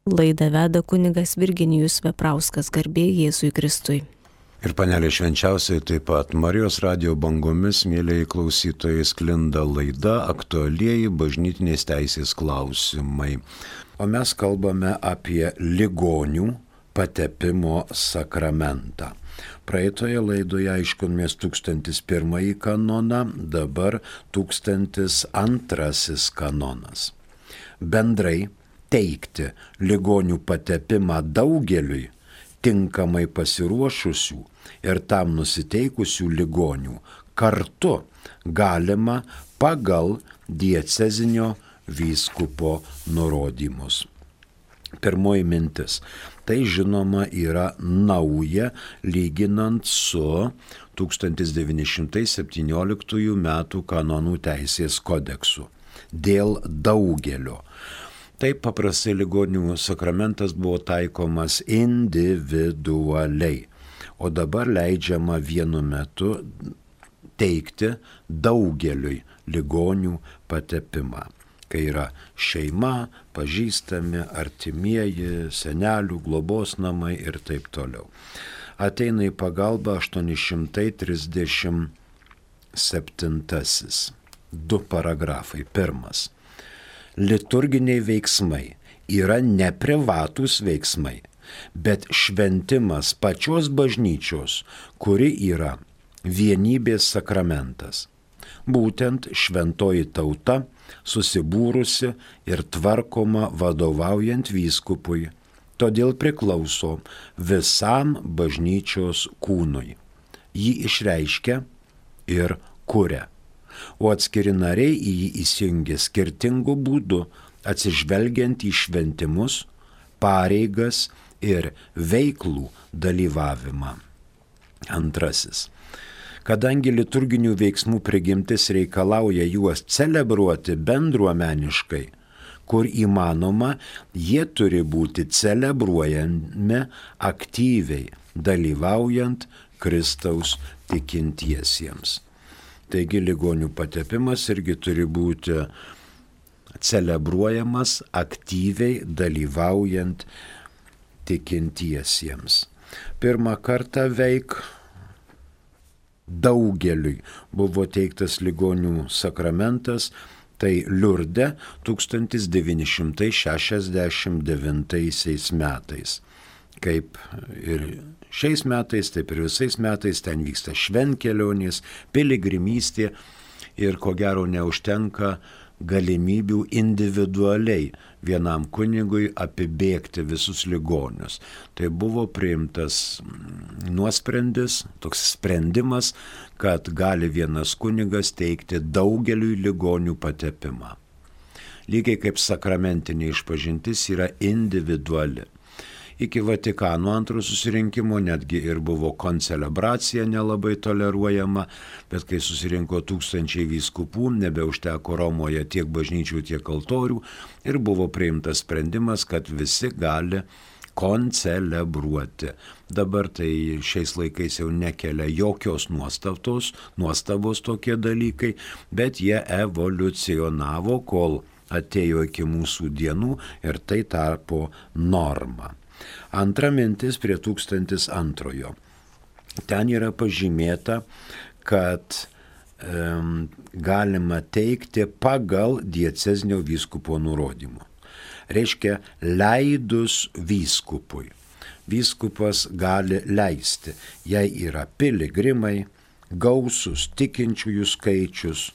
Laidą veda kunigas Virginijus Veprauskas, garbė Jėzui Kristui. Ir Panelė Švenčiausiai taip pat Marijos radijo bangomis, mėlyjei klausytojai, sklinda laida Aktualieji bažnytinės teisės klausimai. O mes kalbame apie ligonių patepimo sakramentą. Praeitoje laidoje aiškinomės 1001 kanoną, dabar 1002 kanonas. Bendrai teikti ligonių patepimą daugeliui tinkamai pasiruošusių ir tam nusiteikusių ligonių kartu galima pagal diecezinio vyskupo nurodymus. Pirmoji mintis. Tai žinoma yra nauja lyginant su 1917 metų kanonų teisės kodeksu dėl daugelio. Taip paprastai ligonių sakramentas buvo taikomas individualiai, o dabar leidžiama vienu metu teikti daugeliui ligonių patepimą, kai yra šeima, pažįstami, artimieji, senelių, globos namai ir taip toliau. Ateina į pagalbą 837. 2 paragrafai. Pirmas. Liturginiai veiksmai yra ne privatūs veiksmai, bet šventimas pačios bažnyčios, kuri yra vienybės sakramentas. Būtent šventoji tauta susibūrusi ir tvarkoma vadovaujant vyskupui, todėl priklauso visam bažnyčios kūnui. Jį išreiškia ir kuria, o atskiri nariai į jį įsijungia skirtingų būdų, atsižvelgiant į šventimus, pareigas ir veiklų dalyvavimą. Antrasis. Kadangi liturginių veiksmų prigimtis reikalauja juos celebruoti bendruomeniškai, kur įmanoma, jie turi būti celebruojami aktyviai, dalyvaujant Kristaus tikintiesiems. Taigi ligonių patepimas irgi turi būti celebruojamas aktyviai dalyvaujant tikintiesiems. Pirmą kartą daugeliui buvo teiktas ligonių sakramentas, tai Liurde 1969 metais. Kaip ir šiais metais, taip ir visais metais ten vyksta šventkelionės, piligrimystė ir ko gero neužtenka galimybių individualiai vienam kunigui apibėgti visus ligonius. Tai buvo priimtas nuosprendis, toks sprendimas, kad gali vienas kunigas teikti daugeliui ligonių patepimą. Lygiai kaip sakramentinė išpažintis yra individuali. Iki Vatikano antrojo susirinkimo netgi ir buvo koncelebracija nelabai toleruojama, bet kai susirinko tūkstančiai vyskupų, nebeužteko Romoje tiek bažnyčių, tiek altorių ir buvo priimtas sprendimas, kad visi gali koncelebruoti. Dabar tai šiais laikais jau nekelia jokios nuostabos tokie dalykai, bet jie evoliucionavo, kol atėjo iki mūsų dienų ir tai tapo norma. Antra mintis prie 1002. Ten yra pažymėta, kad galima teikti pagal diecezinio vyskupo nurodymu. Reiškia, leidus vyskupui. Vyskupas gali leisti, jei yra piligrimai, gausus tikinčiųjų skaičius,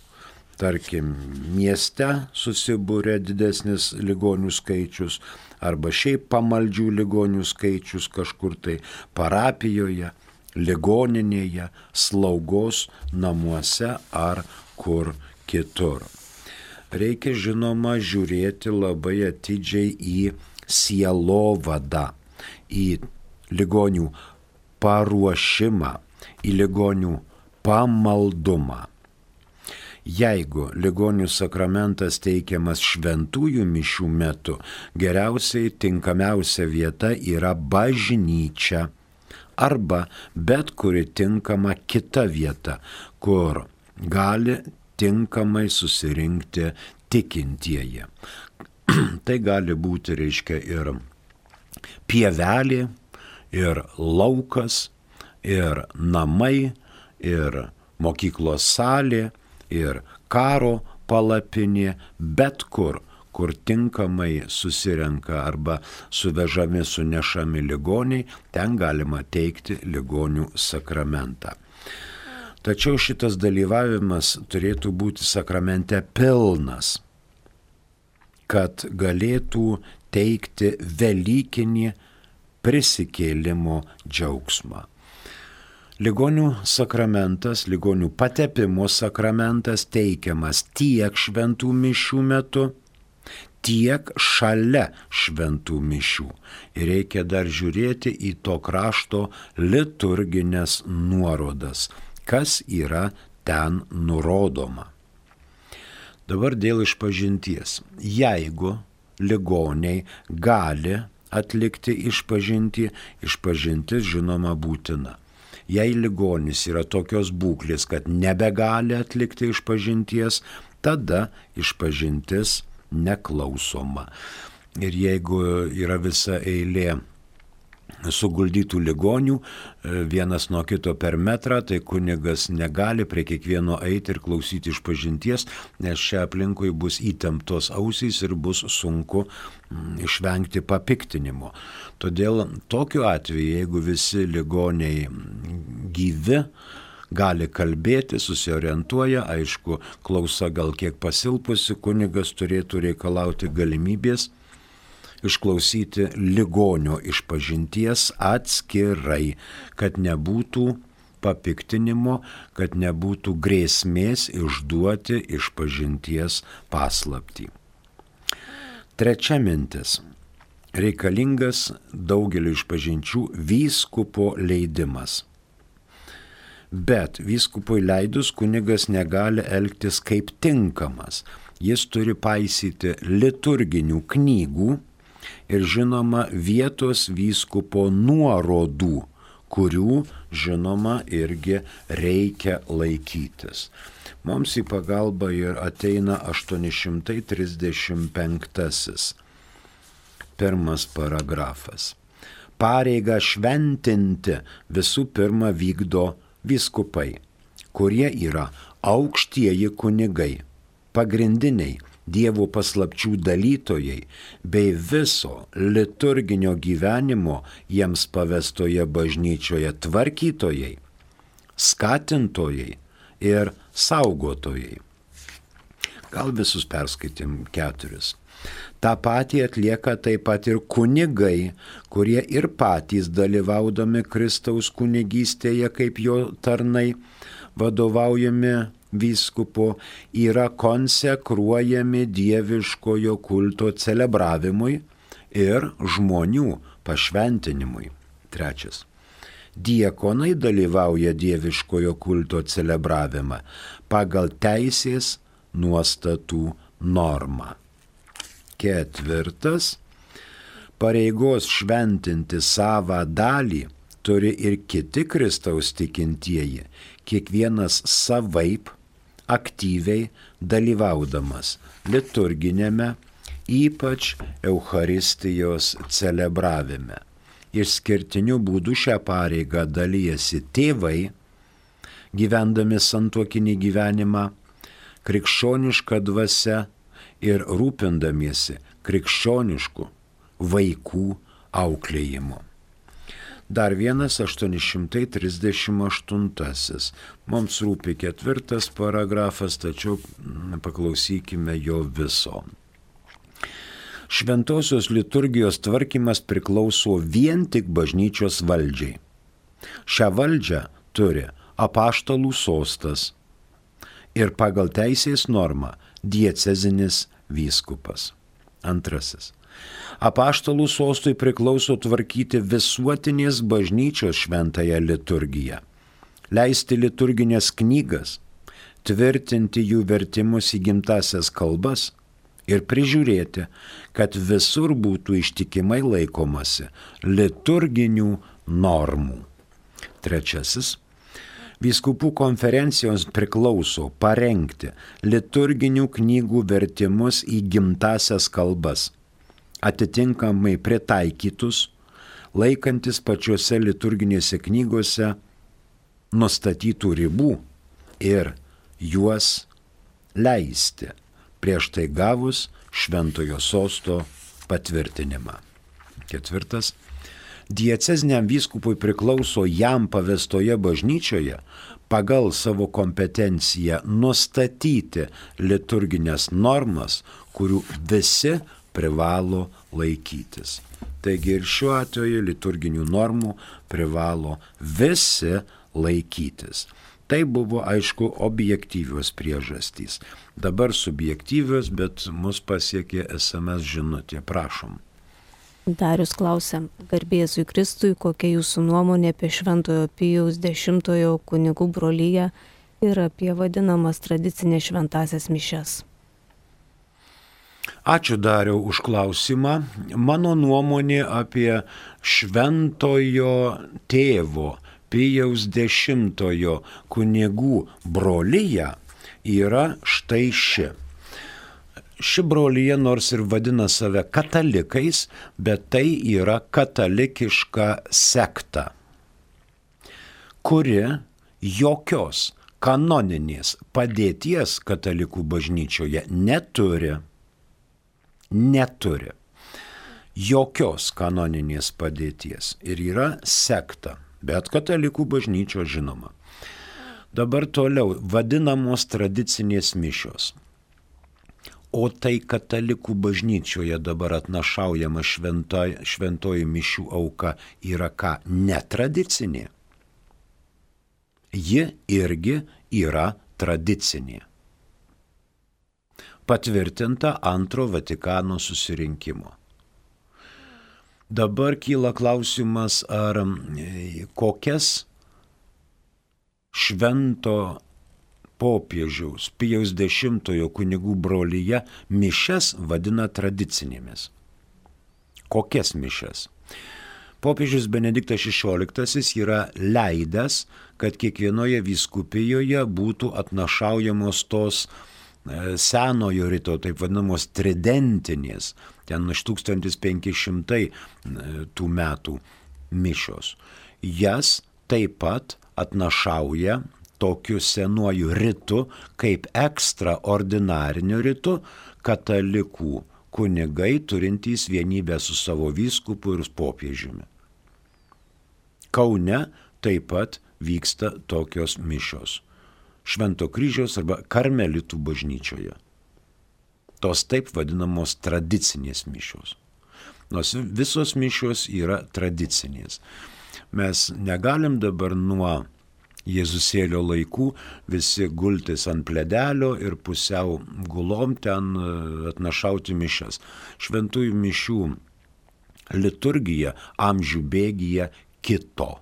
tarkim, mieste susibūrė didesnis ligonių skaičius, arba šiaip pamaldžių ligonių skaičius kažkur tai parapijoje, ligoninėje, slaugos namuose ar kur kitur. Reikia žinoma žiūrėti labai atidžiai į sielovadą, į ligonių paruošimą, į ligonių pamaldumą. Jeigu ligonių sakramentas teikiamas šventųjų mišių metu, geriausiai tinkamiausia vieta yra bažnyčia arba bet kuri tinkama kita vieta, kur gali tinkamai susirinkti tikintieji. Tai gali būti, reiškia, ir pievelė, ir laukas, ir namai, ir mokyklos salė, ir karo palapinė, bet kur tinkamai susirenka arba suvežami, sunešami ligoniai, ten galima teikti ligonių sakramentą. Tačiau šitas dalyvavimas turėtų būti sakramente pilnas, kad galėtų teikti velykinį prisikėlimo džiaugsmą. Ligonių sakramentas, ligonių patepimo sakramentas teikiamas tiek šventų mišių metu, tiek šalia šventų mišių. Ir reikia dar žiūrėti į to krašto liturginės nuorodas, kas yra ten nurodoma. Dabar dėl išpažinties. Jeigu ligoniai gali atlikti išpažintį, išpažintis žinoma būtina. Jei ligonis yra tokios būklės, kad nebegali atlikti išpažinties, tada išpažintis neklausoma. Ir jeigu yra visa eilė suguldytų ligonių, vienas nuo kito per metrą, tai kunigas negali prie kiekvieno eiti ir klausyti išpažinties, nes čia aplinkui bus įtemptos ausys ir bus sunku išvengti papiktinimo. Todėl tokiu atveju, jeigu visi ligoniai gyvi, gali kalbėti, susiorientuoja, aišku, klausa gal kiek pasilpusi, kunigas turėtų reikalauti galimybės išklausyti ligonio išpažinties atskirai, kad nebūtų papiktinimo, kad nebūtų grėsmės išduoti išpažinties paslaptį. Trečia mintis. Reikalingas daugeliu išpažinčių vyskupo leidimas. Bet vyskupui leidus kunigas negali elgtis kaip tinkamas. Jis turi paisyti liturginių knygų ir žinoma vietos vyskupo nuorodų, kurių žinoma irgi reikia laikytis. Mums į pagalbą ir ateina 835. Pirmas paragrafas. Pareigą šventinti visų pirma vykdo vyskupai, kurie yra aukštieji kunigai, pagrindiniai Dievo paslapčių dalytojai bei viso liturginio gyvenimo jiems pavestoje bažnyčioje tvarkytojai, skatintojai ir saugotojai. Gal visus perskaitėm 4. Ta patį atlieka taip pat ir kunigai, kurie ir patys dalyvaudami Kristaus kunigystėje kaip jo tarnai, vadovaujami vyskupo, yra konsekruojami dieviškojo kulto celebravimui ir žmonių pašventinimui. 3. Diekonai dalyvauja dieviškojo kulto celebravimą pagal teisės nuostatų normą. 4. Pareigos šventinti savą dalį turi ir kiti Kristaus tikintieji, kiekvienas savaip aktyviai dalyvaudamas liturginėme, ypač Eucharistijos celebravime. Išskirtiniu būdu šią pareigą dalijasi tėvai, gyvendami santuokinį gyvenimą, krikščioniška dvasia ir rūpindamiesi krikščionišku vaikų auklėjimu. Dar vienas 838. Mums rūpi 4. paragrafas, tačiau paklausykime jo viso. Šventosios liturgijos tvarkymas priklauso vien tik bažnyčios valdžiai. Šią valdžią turi apaštalų sostas ir pagal teisės normą diecezinis vyskupas. 2. Apaštalų sostui priklauso tvarkyti visuotinės bažnyčios šventąją liturgiją, leisti liturginės knygas, tvirtinti jų vertimus į gimtasias kalbas ir prižiūrėti, kad visur būtų ištikimai laikomasi liturginių normų. 3. Vyskupų konferencijoms priklauso parengti liturginių knygų vertimus į gimtasias kalbas atitinkamai pritaikytus, laikantis pačiose liturginėse knygose nustatytų ribų ir juos leisti, prieš tai gavus šventojo sosto patvirtinimą. 4. Dieceziniam vyskupui priklauso jam pavestoje bažnyčioje pagal savo kompetenciją nustatyti liturginės normas, kurių visi privalo laikytis. Taigi ir šiuo atveju liturginių normų privalo visi laikytis. Tai buvo, aišku, objektyvios priežastys. Dabar subjektyvios, bet mus pasiekė SMS žinutė. Prašom. Darius klausia, garbė Jėzui Kristui, kokia jūsų nuomonė apie Šventojo Pijaus X kunigų broliją ir apie vadinamas tradicinės šventąsias mišias? Ačiū Dariau už klausimą. Mano nuomonė apie Šventojo tėvo Pijaus X kunigų broliją yra štai ši. Ši brolyja nors ir vadina save katalikais, bet tai yra katalikiška sekta, kuri jokios kanoninės padėties katalikų bažnyčioje neturi. Jokios kanoninės padėties ir yra sekta, bet katalikų bažnyčio žinoma. Dabar toliau vadinamos tradicinės mišios. O tai katalikų bažnyčioje dabar atnašaujama šventoji mišių auka yra ką? Netradicinė. Ji irgi yra tradicinė. Patvirtinta Antro Vatikano susirinkimo. Dabar kyla klausimas, ar kokias švento popiežiaus Pijaus X kunigų brolyje mišias vadina tradicinėmis. Kokias mišias? Popiežius Benediktas XVI yra leidęs, kad kiekvienoje vyskupijoje būtų atnašaujamos tos senojo rito, taip vadinamos tridentinės, ten iš 1500 tų metų mišios. Jas taip pat atnašauja tokiu senuoju ritu, kaip ekstraordinariniu ritu, katalikų kunigai turintys vienybę su savo vyskupu ir popiežiumi. Kaune taip pat vyksta tokios mišios. Švento kryžiaus arba karmelitų bažnyčioje. Tos taip vadinamos tradicinės mišios. Nors visos mišios yra tradicinės. Mes negalim dabar nuo Jėzusėlio laikų visi gultis ant pledelio ir pusiau gulom ten atnašauti mišias. Šventųjų mišių liturgija amžių bėgyje kito.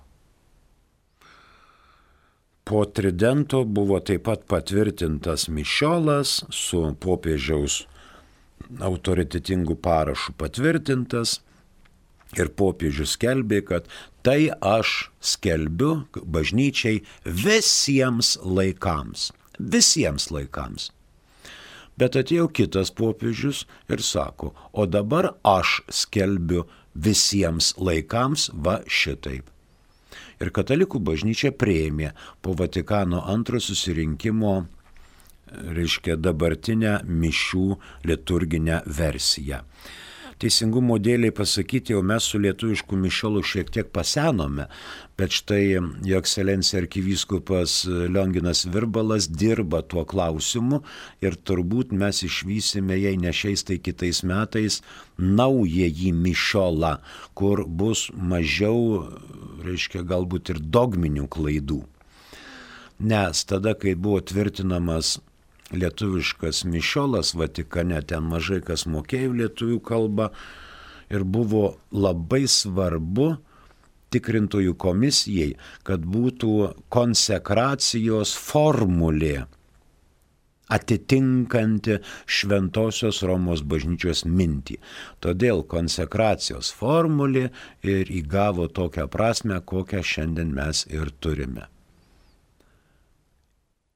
Po tridento buvo taip pat patvirtintas mišiolas su popiežiaus autoritetingu parašu patvirtintas ir popiežius skelbė, kad tai aš skelbiu bažnyčiai visiems laikams. Visiems laikams. Bet atėjo kitas popiežius ir sako, o dabar aš skelbiu visiems laikams va šitaip. Ir katalikų bažnyčia priėmė po Vatikano II susirinkimo, reiškia, dabartinę mišių liturginę versiją. Teisingumo dėliai pasakyti, jau mes su lietuvišku mišiolu šiek tiek pasenome, bet štai jo ekscelencija arkivyskupas Lionginas Virbalas dirba tuo klausimu ir turbūt mes išvysime, jei ne šiais, tai kitais metais, naująjį mišiolą, kur bus mažiau, reiškia, galbūt ir dogminių klaidų. Nes tada, kai buvo tvirtinamas lietuviškas mišiolas Vatikane, ten mažai kas mokėjo lietuvių kalbą ir buvo labai svarbu tikrintojų komisijai, kad būtų konsekracijos formulė atitinkanti Šventosios Romos bažnyčios mintį. Todėl konsekracijos formulė ir įgavo tokią prasme, kokią šiandien mes ir turime.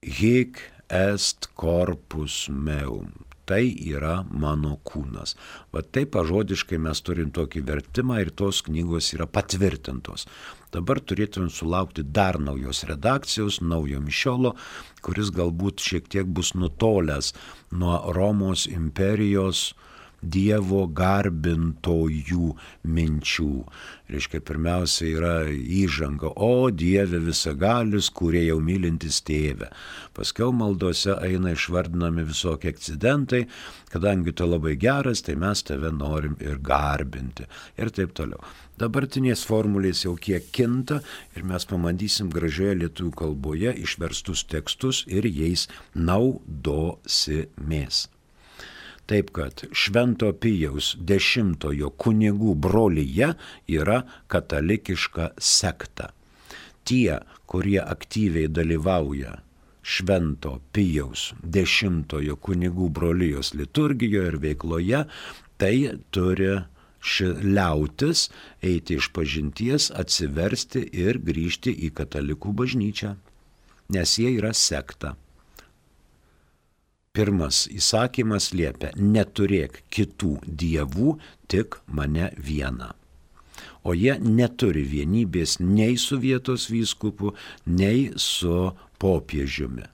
Hic est corpus meum, tai yra mano kūnas. Va taip pažodiškai mes turim tokį vertimą ir tos knygos yra patvirtintos. Dabar turėtume sulaukti dar naujos redakcijos, naujo mišiolo, kuris galbūt šiek tiek bus nutolęs nuo Romos imperijos Dievo garbintojų minčių. Reiškia, pirmiausia yra įžanga, o Dieve visagalis, kurie jau mylintis tėvę. Paskiau maldose eina išvardinami visokie akcidentai, kadangi tu labai geras, tai mes tave norim ir garbinti. Ir taip toliau. Dabartinės formulės jau kiek kinta ir mes pamatysim gražioje lietuvių kalboje išverstus tekstus ir jais naudosimės. Taip kad Švento Pijaus X kunigų brolija yra katalikiška sekta. Tie, kurie aktyviai dalyvauja Švento Pijaus X kunigų brolijos liturgijoje ir veikloje, tai turi liautis eiti iš pažinties, atsiversti ir grįžti į katalikų bažnyčią, nes jie yra sekta. Pirmas įsakymas liepia, neturėk kitų dievų, tik mane vieną. O jie neturi vienybės nei su vietos vyskupu, nei su popiežiumi.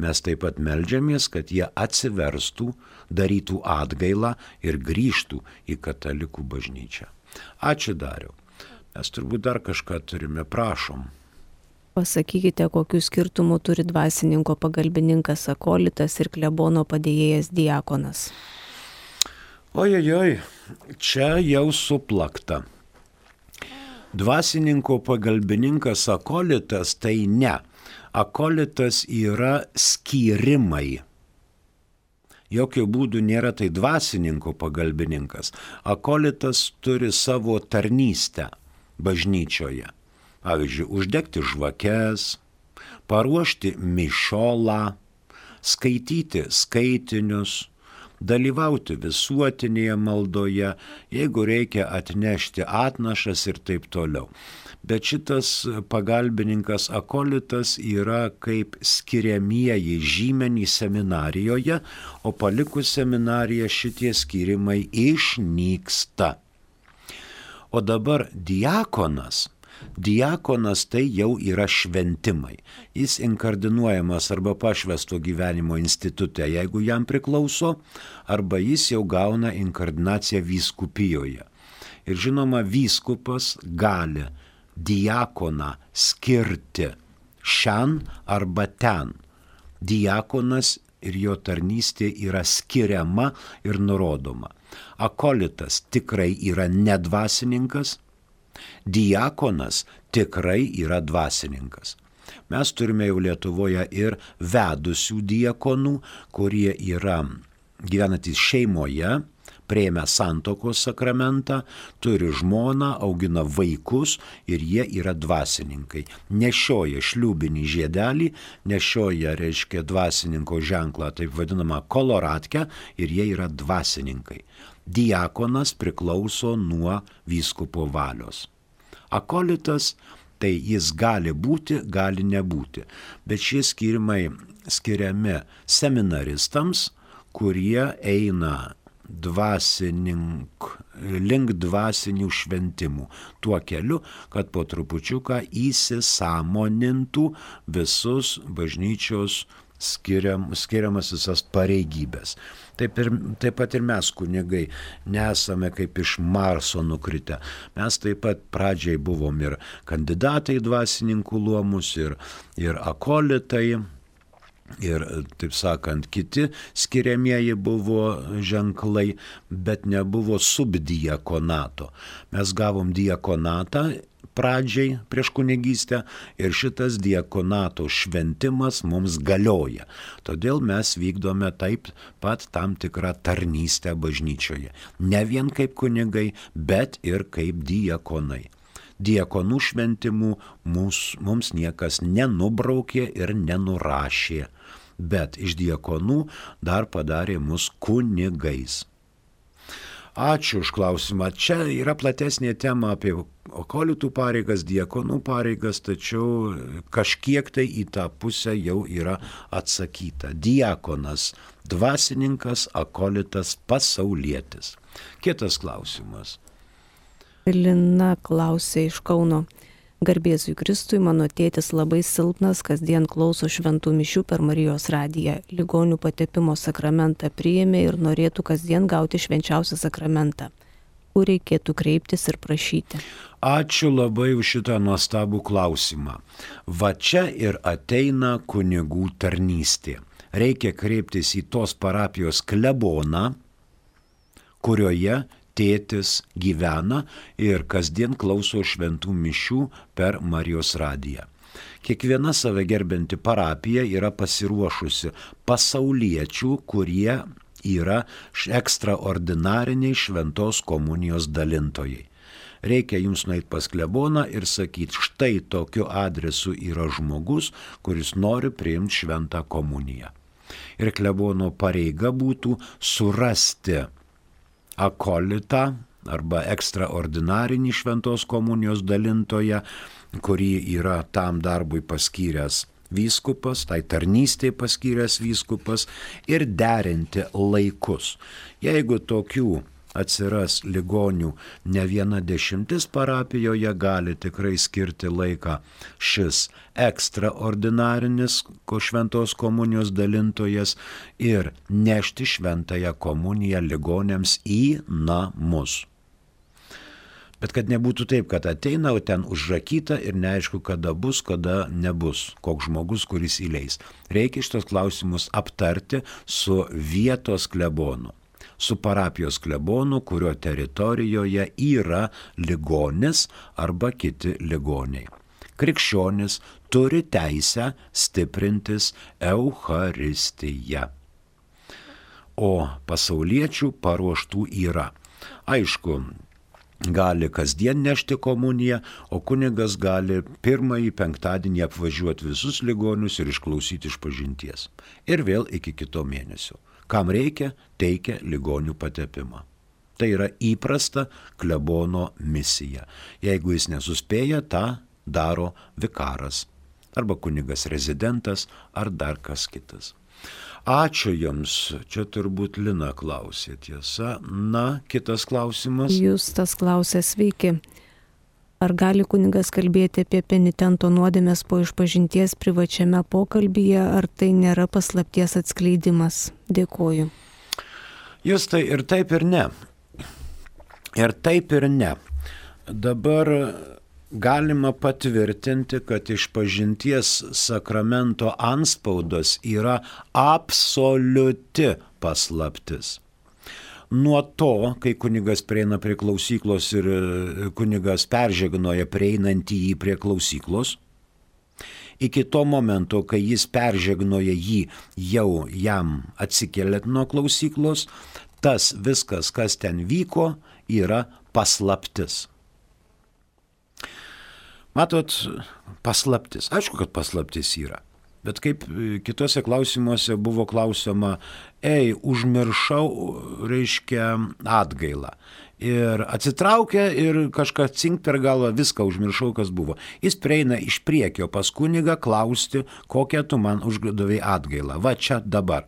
Mes taip pat meldžiamės, kad jie atsiverstų, darytų atgailą ir grįžtų į katalikų bažnyčią. Ačiū, Dariau. Mes turbūt dar kažką turime, prašom. Pasakykite, kokių skirtumų turi dvasininko pagalbininkas akolitas ir klebono padėjėjas diakonas. Ojojoj, čia jau suplakta. Dvasininko pagalbininkas akolitas tai ne. Akolitas yra skyrimai. Jokių būdų nėra tai dvasininko pagalbininkas. Akolitas turi savo tarnystę bažnyčioje. Pavyzdžiui, uždegti žvakes, paruošti mišiolą, skaityti skaitinius, dalyvauti visuotinėje maldoje, jeigu reikia atnešti atnašas ir taip toliau. Bet šitas pagalbininkas akolitas yra kaip skiriamieji žymenys seminarijoje, o palikus seminariją šitie skirimai išnyksta. O dabar diakonas tai jau yra šventimai. Jis inkardinuojamas arba pašvęsto gyvenimo institute, jeigu jam priklauso, arba jis jau gauna inkardinaciją vyskupijoje. Ir žinoma, vyskupas gali diakoną skirti šen arba ten. Diakonas ir jo tarnystė yra skiriama ir nurodoma. Akolitas tikrai yra nedvasininkas, diakonas tikrai yra dvasininkas. Mes turime jau Lietuvoje ir vedusių diakonų, kurie yra gyvenantys šeimoje, priėmę santuokos sakramentą, turi žmoną, augina vaikus ir jie yra dvasininkai. Nešioja šliūbinį žiedelį, nešioja, reiškia, dvasininko ženklą, taip vadinamą koloratkę, ir jie yra dvasininkai. Diakonas priklauso nuo vyskupo valios. Akolitas, tai jis gali būti, gali nebūti. Bet šie skirimai skiriami seminaristams, kurie eina link dvasinių šventimų. Tuo keliu, kad po trupučiuką įsisąmonintų visus bažnyčios skiriamas visas pareigybės. Taip pat ir mes, kunigai, nesame kaip iš Marso nukritę. Mes taip pat pradžiai buvom ir kandidatai dvasininkų luomus, ir akolitai, ir, taip sakant, kiti skiriamieji buvo ženklai, bet nebuvo subdiakonato. Mes gavom diakonatą pradžiai prieš kunigystę ir šitas diakonato šventimas mums galioja. Todėl mes vykdome taip pat tam tikrą tarnystę bažnyčioje. Ne vien kaip kunigai, bet ir kaip diakonai. Diakonų šventimų mums niekas nenubraukė ir nenurašė, bet iš diakonų dar padarė mus kunigais. Ačiū už klausimą. Čia yra platesnė tema apie akolitų pareigas, diakonų pareigas, tačiau kažkiek tai į tą pusę jau yra atsakyta. Diakonas, dvasininkas, akolitas, pasaulietis. Kitas klausimas. Lina klausė iš Kauno. Garbėzui Kristui, mano tėtis labai silpnas, kasdien klauso šventų mišių per Marijos radiją. Ligonių patepimo sakramentą priėmė ir norėtų kasdien gauti švenčiausią sakramentą. Kur reikėtų kreiptis ir prašyti? Ačiū labai už šitą nuostabų klausimą. Va čia ir ateina kunigų tarnystė. Reikia kreiptis į tos parapijos kleboną, kurioje tėtis gyvena ir kasdien klauso šventų mišių per Marijos radiją. Kiekviena save gerbianti parapija yra pasiruošusi pasauliečių, kurie yra ekstraordinariniai šventos komunijos dalintojai. Reikia jums nueiti pas kleboną ir sakyti, štai tokiu adresu yra žmogus, kuris nori priimti šventą komuniją. Ir klebono pareiga būtų surasti akolitą arba ekstraordinarinį šventos komunijos dalintoją, kurį yra tam darbui paskyręs vyskupas, tai tarnystėje paskyręs vyskupas, ir derinti laikus. Jeigu tokių atsiras ligonių ne viena 10 parapijoje, gali tikrai skirti laiką šis ekstraordinarinis šventos komunijos dalintojas ir nešti šventąją komuniją ligoniams į namus. Bet kad nebūtų taip, kad ateina, o ten užrakyta ir neaišku, kada bus, kada nebus, koks žmogus, kuris įleis. Reikia šitos klausimus aptarti su vietos klebonu, su parapijos klebonu, kurio teritorijoje yra ligonis arba kiti ligoniai. Krikščionis turi teisę stiprintis Eucharistiją, o pasauliečių paruoštų yra. Aišku, gali kasdien nešti komuniją, o kunigas gali pirmąjį penktadienį apvažiuoti visus ligonius ir išklausyti išpažinties. Ir vėl iki kito mėnesio. Kam reikia, teikia ligonių patepimą. Tai yra įprasta klebono misija. Jeigu jis nesuspėja, tą daro vikaras arba kunigas rezidentas ar dar kas kitas. Ačiū Jums, čia turbūt Lina klausė, tiesa. Na, kitas klausimas. Justas klausė, sveiki. Ar gali kunigas kalbėti apie penitento nuodėmes po išpažinties privačiame pokalbyje, ar tai nėra paslapties atskleidimas? Dėkoju. Justai, ir taip ir ne. Ir taip ir ne. Dabar galima patvirtinti, kad išpažinties sakramento antspaudas yra absoliuti paslaptis. Nuo to, kai kunigas prieina prie klausyklos ir kunigas peržegnoja prieinantį jį prie klausyklos, iki to momento, kai jis peržegnoja jį jau jam atsikeliant nuo klausyklos, tas viskas, kas ten vyko, yra paslaptis. Matot, paslaptis. Aišku, kad paslaptis yra. Bet kaip kitose klausimuose buvo klausima, užmiršau, reiškia, atgailą. Ir atsitraukia ir kažką cink per galvą, viską užmiršau, kas buvo. Jis prieina iš priekio pas kunigą klausti, kokią tu man uždavei atgailą. Va čia dabar.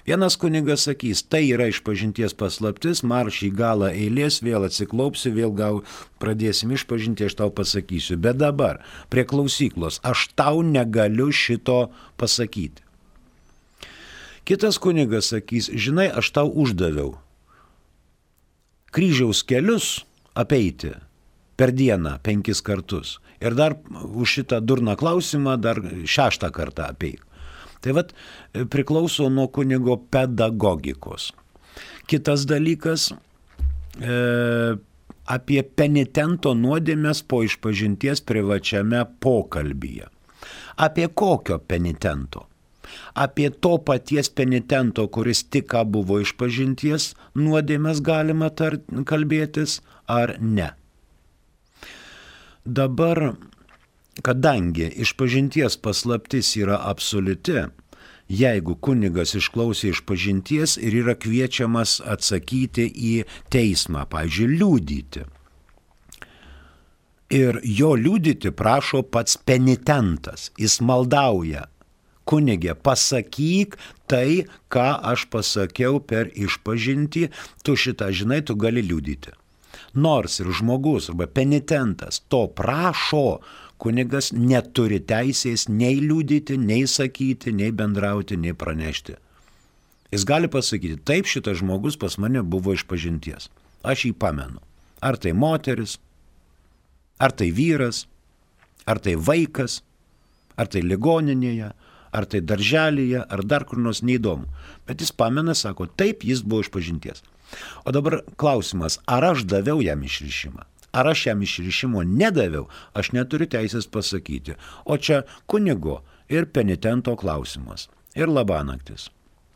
Vienas kunigas sakys, tai yra išpažinties paslaptis, marš į galą eilės, vėl atsiklaupsi, vėl pradėsim išpažinti, aš tau pasakysiu. Bet dabar, prie klausyklos, aš tau negaliu šito pasakyti. Kitas kunigas sakys, žinai, aš tau uždaviau kryžiaus kelius apeiti per dieną 5 kartus. Ir dar už šitą durną klausimą dar 6 kartą apeik. Tai vat priklauso nuo kunigo pedagogikos. Kitas dalykas, apie penitento nuodėmes po išpažinties privačiame pokalbyje. Apie kokio penitento? Apie to paties penitento, kuris tik ką buvo išpažinties nuodėmes galima kalbėtis ar ne? Dabar, kadangi išpažinties paslaptis yra absoliuti, jeigu kunigas išklausė išpažinties ir yra kviečiamas atsakyti į teismą, pavyzdžiui, liudyti, Ir jo liudyti prašo pats penitentas. Jis maldauja: kunigė, pasakyk tai, ką aš pasakiau per išpažintį, tu šitą žinai, tu gali liudyti. Nors ir žmogus arba penitentas to prašo, kunigas neturi teisės nei liudyti, nei sakyti, nei bendrauti, nei pranešti. Jis gali pasakyti: taip, šitas žmogus pas mane buvo išpažinties. Aš jį pamenu. Ar tai moteris, ar tai vyras, ar tai vaikas, ar tai ligoninėje, ar tai darželyje, ar dar kur nors, neįdomu. Bet jis pamena, sako, taip, jis buvo išpažinties. O dabar klausimas, ar aš daviau jam išrišimą? Ar aš jam išrišimo nedaviau, aš neturiu teisės pasakyti. O čia kunigo ir penitento klausimas. Ir labanaktis.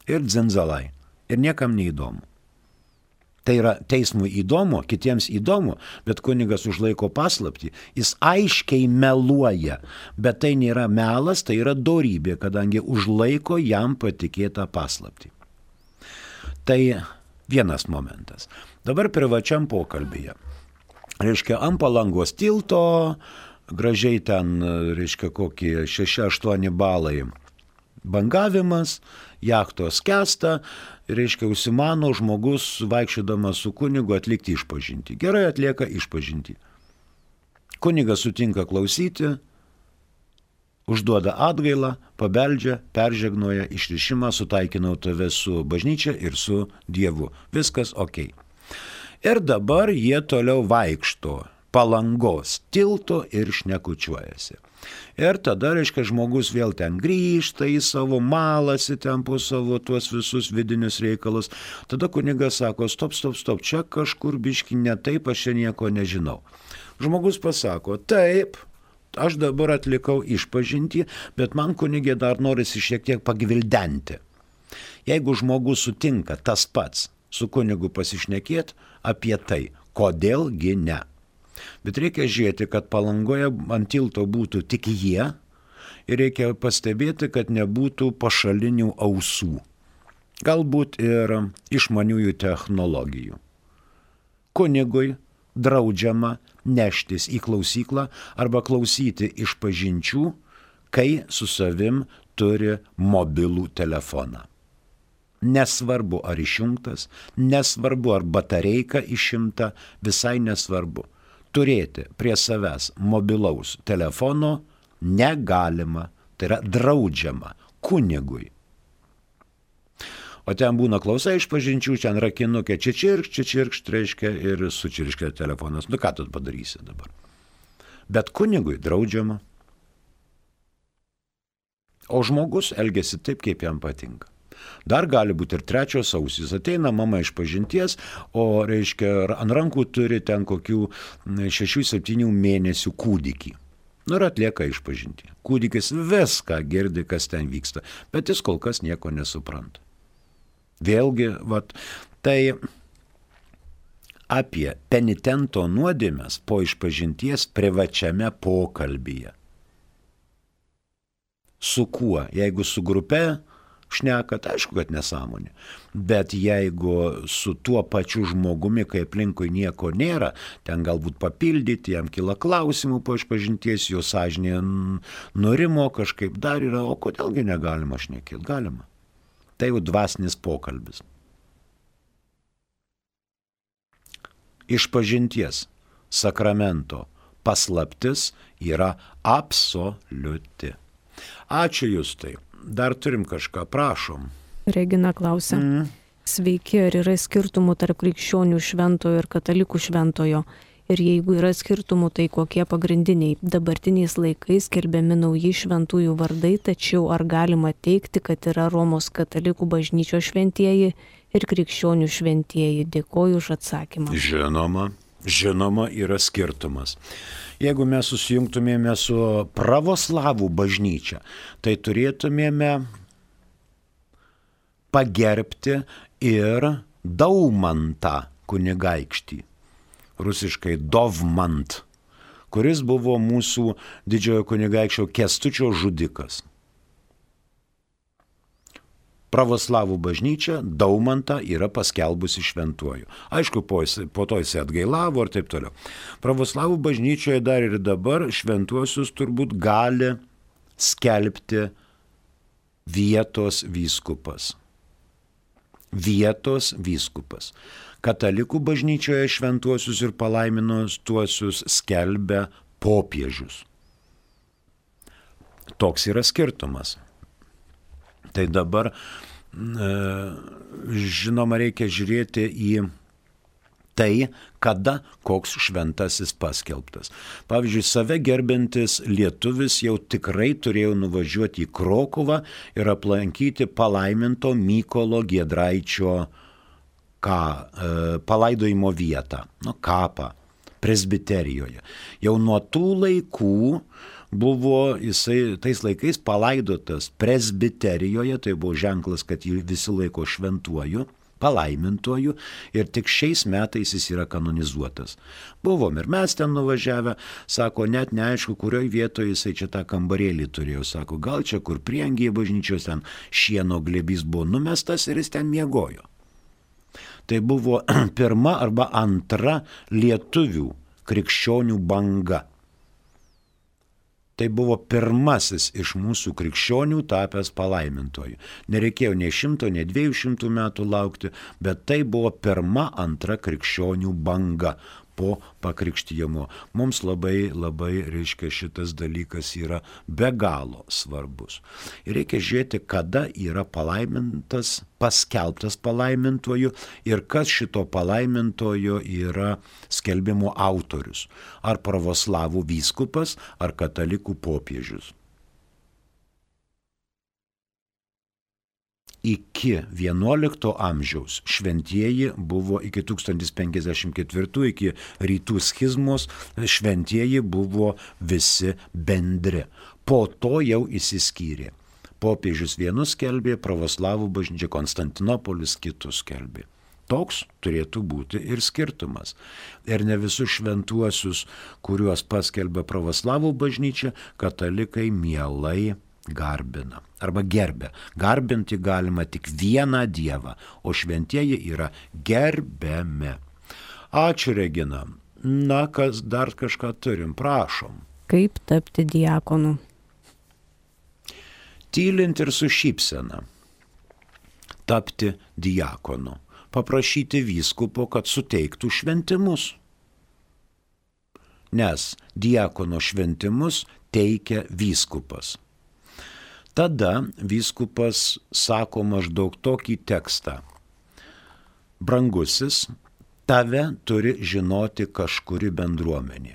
Ir dzinzalai. Ir niekam neįdomu. Tai yra teismui įdomu, kitiems įdomu, bet kunigas užlaiko paslaptį. Jis aiškiai meluoja, bet tai nėra melas, tai yra dorybė, kadangi užlaiko jam patikėtą paslaptį. Tai vienas momentas. Dabar privačiam pokalbyje. Reiškia, ant Palangos tilto, gražiai ten, reiškia, kokie 6-8 balai bangavimas, jachtos skęsta, reiškia, užsimano žmogus vaikščiodamas su kunigu atlikti išpažintį. Gerai atlieka išpažintį. Kunigas sutinka klausyti, užduoda atgailą, pabeldžia, peržegnoja išrišimą, sutaikinau tave su bažnyčia ir su Dievu. Viskas ok. Ir dabar jie toliau vaikšto Palangos tilto ir šnekučiuojasi. Ir tada, reiškia, žmogus vėl ten grįžta į savo malasi, ten po savo tuos visus vidinius reikalus. Tada kunigas sako, stop, čia kažkur biški ne taip, aš čia nieko nežinau. Žmogus pasako, taip, aš dabar atlikau išpažintį, bet man kunigė dar norisi šiek tiek pagvildenti. Jeigu žmogus sutinka tas pats su kunigu pasišnekėti apie tai, kodėlgi ne. Bet reikia žiūrėti, kad Palangoje ant tilto būtų tik jie ir reikia pastebėti, kad nebūtų pašalinių ausų. Galbūt ir išmaniųjų technologijų. Kunigui draudžiama neštis į klausyklą arba klausyti išpažinčių, kai su savim turi mobilų telefoną. Nesvarbu ar išjungtas, nesvarbu ar batareika išimta, visai nesvarbu. Turėti prie savęs mobilaus telefono negalima, tai yra draudžiama kunigui. O ten būna klausa išpažinčių, ten rakinukė čičirkšt, reiškia, ir sučirškia telefonas. Nu ką tu padarysi dabar? Bet kunigui draudžiama. O žmogus elgesi taip, kaip jam patinka. Dar gali būti ir trečios ausys. Ateina mama iš pažinties, o, reiškia, ant rankų turi ten kokių 6-7 mėnesių kūdikį. Nu ir atlieka išpažintį. Kūdikis viską girdi, kas ten vyksta, bet jis kol kas nieko nesupranta. Vėlgi, tai apie penitento nuodėmes po išpažinties privačiame pokalbyje. Su kuo? Jeigu su grupe šnekat, aišku, kad nesąmonė. Bet jeigu su tuo pačiu žmogumi, kai aplinkui nieko nėra, ten galbūt papildyti, jam kyla klausimų po išpažinties, jo sąžinė nurimo, kažkaip dar yra, o kodėlgi negalima šnekėti? Galima. Tai jau dvasinis pokalbis. Išpažinties sakramento paslaptis yra absoliuti. Ačiū Justai. Dar turim kažką, prašom. Regina klausia. Sveiki, ar yra skirtumų tarp krikščionių šventojo ir katalikų šventojo? Ir jeigu yra skirtumų, tai kokie pagrindiniai? Dabartiniais laikais skelbiami nauji šventųjų vardai, tačiau ar galima teigti, kad yra Romos katalikų bažnyčios šventieji ir krikščionių šventieji? Dėkoju už atsakymą. Žinoma, yra skirtumas. Jeigu mes susijungtumėme su pravoslavų bažnyčia, tai turėtumėme pagerbti ir Daumantą kunigaikštį, rusiškai Dovmant, kuris buvo mūsų didžiojo kunigaikščio Kęstučio žudikas. pravoslavų bažnyčia Daumantą yra paskelbusi šventuoju. Aišku, po to jis atgailavo ir taip toliau. Pravoslavų bažnyčioje dar ir dabar šventuosius turbūt gali skelbti vietos vyskupas. Vietos vyskupas. Katalikų bažnyčioje šventuosius ir palaimintuosius skelbia popiežius. Toks yra skirtumas. Tai dabar, žinoma, reikia žiūrėti į tai, kada koks šventasis paskelbtas. Pavyzdžiui, save gerbintis lietuvis jau tikrai turėjo nuvažiuoti į Krokuvą ir aplankyti palaiminto Mykolo Giedraičio palaidojimo vietą, kapą, presbiterijoje. Jau nuo tų laikų buvo jisai tais laikais palaidotas presbiterijoje, tai buvo ženklas, kad jį visi laiko šventuoju, palaimintuoju, ir tik šiais metais jis yra kanonizuotas. Buvom ir mes ten nuvažiavę, sako, net neaišku, kurioje vietoje jisai čia tą kambarėlį turėjo, sako, gal čia kur prieangyje bažnyčios ten šieno glėbys buvo numestas ir jis ten miegojo. Tai buvo pirma arba antra lietuvių krikščionių banga. Tai buvo pirmasis iš mūsų krikščionių tapęs palaimintoju. Nereikėjo nei 100, nei 200 metų laukti, bet tai buvo pirma, antra krikščionių banga po pakrikštijimo. Mums labai, reiškia, šitas dalykas yra be galo svarbus. Ir reikia žiūrėti, kada yra palaimintas, paskelbtas palaimintoju ir kas šito palaimintojo yra skelbimo autorius. Ar pravoslavų vyskupas, ar katalikų popiežius. Iki XI amžiaus šventieji buvo, iki 1054, iki rytų schizmos, šventieji buvo visi bendri. Po to jau išsiskyrė. Popiežius vienus skelbė, pravoslavų bažnyčia, Konstantinopolis kitus skelbė. Toks turėtų būti ir skirtumas. Ir ne visus šventuosius, kuriuos paskelbė pravoslavų bažnyčia, katalikai mielai garbina arba gerbia. Garbinti galima tik vieną Dievą, o šventieji yra gerbiami. Ačiū, Regina. Na, kas dar kažką turim, prašom. Kaip tapti diakonu? Tylint ir su šypsena. Tapti diakonu. Paprašyti vyskupo, kad suteiktų šventimus. Nes diakono šventimus teikia vyskupas. Tada vyskupas sako maždaug tokį tekstą. Brangusis, tave turi žinoti kažkuri bendruomenė.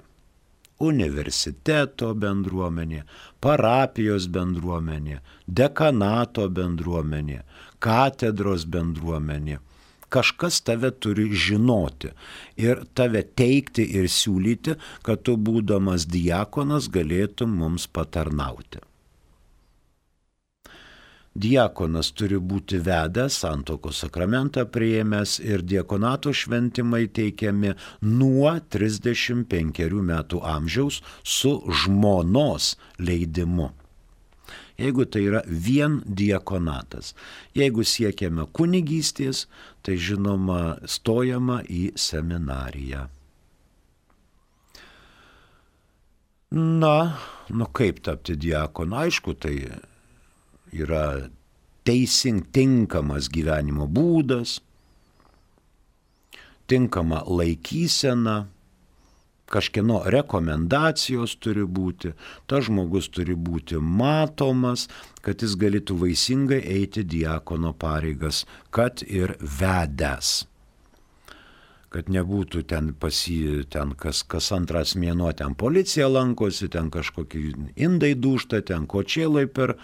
Universiteto bendruomenė, parapijos bendruomenė, dekanato bendruomenė, katedros bendruomenė. Kažkas tave turi žinoti ir tave teikti ir siūlyti, kad tu būdamas diakonas galėtum mums patarnauti. Diakonas turi būti vedęs, santuokos sakramentą priėmęs ir diakonato šventimai teikiami nuo 35 metų amžiaus su žmonos leidimu. Jeigu tai yra vien diakonatas. Jeigu siekiame kunigystės, tai žinoma stojama į seminariją. Na, kaip tapti diakonu? Aišku, tai yra tinkamas gyvenimo būdas, tinkama laikysena, kažkieno rekomendacijos turi būti, tas žmogus turi būti matomas, kad jis galėtų vaisingai eiti diakono pareigas, kad ir vedęs. Kad nebūtų ten kas antras mėnuo ten policija lankosi, ten kažkokie indai dūžta, ten kočėlai per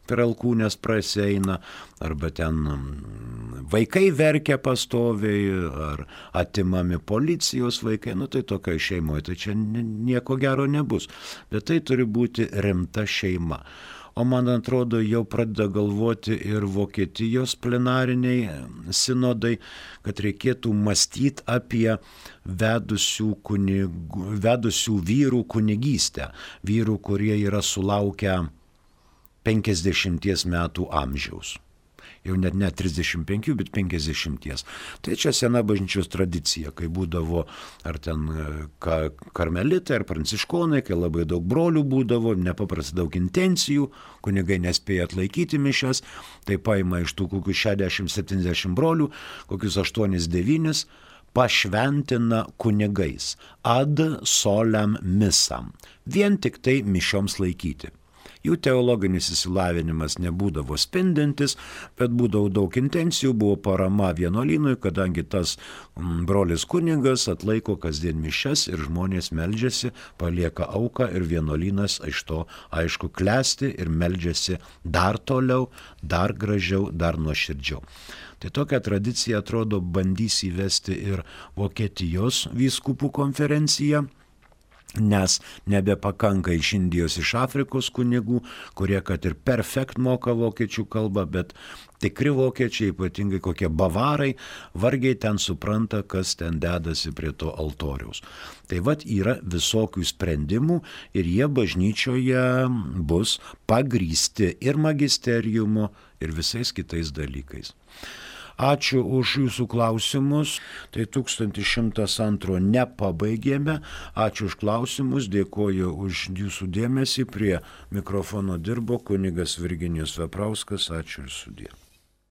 alkūnės praseina, arba ten vaikai verkia pastoviai, ar atimami policijos vaikai, tai tokioje šeimoje, tai čia nieko gero nebus. Bet tai turi būti rimta šeima. O man atrodo, jau pradeda galvoti ir Vokietijos plenariniai sinodai, kad reikėtų mąstyti apie vedusių vyrų kunigystę, vyrų, kurie yra sulaukę 50 metų amžiaus. jau net 35, bet 50. Tai čia sena bažnyčios tradicija, kai būdavo ar ten karmelitai, ar pranciškonai, kai labai daug brolių būdavo, nepaprastai daug intencijų, kunigai nespėja atlaikyti mišias, tai paima iš tų kokių 60-70 brolių, kokius 8-9, pašventina kunigais ad solem misam, vien tik tai mišioms laikyti. Jų teologinis išsilavinimas nebūdavo spindintis, bet būdavo daug intencijų, buvo parama vienuolynui, kadangi tas brolis kunigas atlaiko kasdien mišias ir žmonės meldžiasi, palieka auką ir vienuolynas iš to aišku klesti ir meldžiasi dar toliau, dar gražiau, dar nuoširdžiau. Tai tokią tradiciją atrodo bandys įvesti ir Vokietijos vyskupų konferencija, nes nebepakanka iš Indijos, iš Afrikos kunigų, kurie kad ir perfekt moka vokiečių kalbą, bet tikri vokiečiai, ypatingai kokie bavarai, vargiai ten supranta, kas ten dedasi prie to altoriaus. Tai vat yra visokių sprendimų ir jie bažnyčioje bus pagrįsti ir magisteriumo, ir visais kitais dalykais. Ačiū už jūsų klausimus. Tai 1102 nepabaigėme. Ačiū už klausimus, dėkoju už jūsų dėmesį. Prie mikrofono dirbo kunigas Virginijus Veprauskas. Ačiū ir sudie.